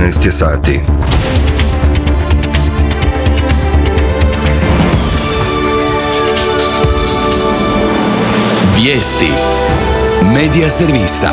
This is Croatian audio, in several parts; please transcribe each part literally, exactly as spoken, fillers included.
trinaest je sati. Vijesti Medija servisa.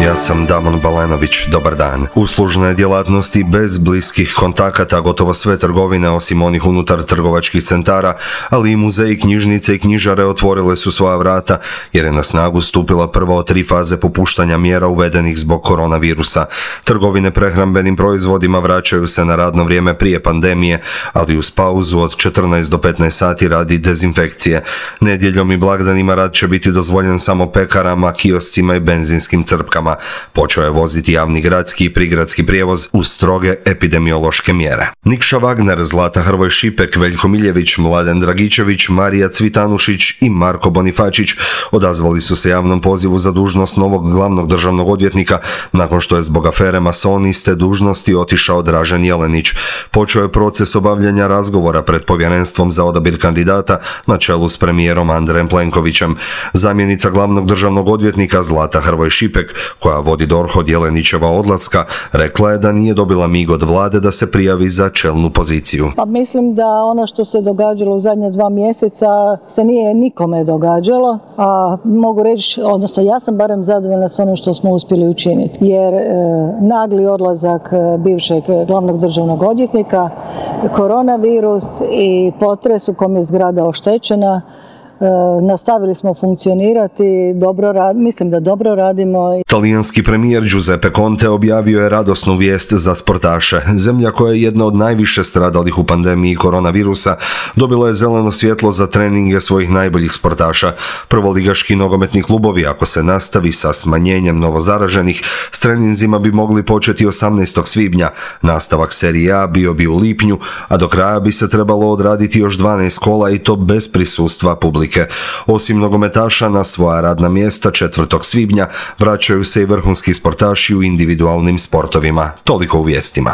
Ja sam Damon Balenović, dobar dan. Uslužne djelatnosti bez bliskih kontakata, gotovo sve trgovine osim onih unutar trgovačkih centara, ali i muzeji, knjižnice i knjižare otvorile su svoja vrata jer je na snagu stupila prva od tri faze popuštanja mjera uvedenih zbog koronavirusa. Trgovine prehrambenim proizvodima vraćaju se na radno vrijeme prije pandemije, ali uz pauzu od četrnaest do petnaest sati radi dezinfekcije. Nedjeljom i blagdanima rad će biti dozvoljen samo pekarama, kioscima i benzinskim crpkama. Počeo je voziti javni gradski i prigradski prijevoz uz stroge epidemiološke mjere. Nikša Wagner, Zlata Hrvoj Šipek, Veljko Miljević, Mladen Dragičević, Marija Cvitanušić i Marko Bonifačić odazvali su se javnom pozivu za dužnost novog glavnog državnog odvjetnika nakon što je zbog afere masoni s te dužnosti otišao Dražen Jelenić. Počeo je proces obavljanja razgovora pred povjerenstvom za odabir kandidata na čelu s premijerom Andrejem Plenkovićem. Zamjenica glavnog državnog odvjetnika Zlata Hrvoj Šipek, koja vodi D O R H od Jelenićeva odlaska, rekla je da nije dobila mig od vlade da se prijavi za čelnu poziciju. Pa mislim da ono što se događalo u zadnje dva mjeseca se nije nikome događalo, a mogu reći, odnosno ja sam barem zadovoljna s onim što smo uspjeli učiniti, jer e, nagli odlazak bivšeg glavnog državnog odvjetnika, koronavirus i potres u kom je zgrada oštećena, E, nastavili smo funkcionirati, dobro rad, mislim da dobro radimo. Talijanski premijer Giuseppe Conte objavio je radosnu vijest za sportaše. Zemlja koja je jedna od najviše stradalih u pandemiji koronavirusa dobila je zeleno svjetlo za treninge svojih najboljih sportaša. Prvoligaški nogometni klubovi, ako se nastavi sa smanjenjem novozaraženih, s treninzima bi mogli početi osamnaestog svibnja. Nastavak serije A bio bi u lipnju, a do kraja bi se trebalo odraditi još dvanaest kola i to bez prisustva publike. Osim nogometaša, na svoja radna mjesta četvrtog svibnja vraćaju se i vrhunski sportaši u individualnim sportovima. Toliko u vijestima.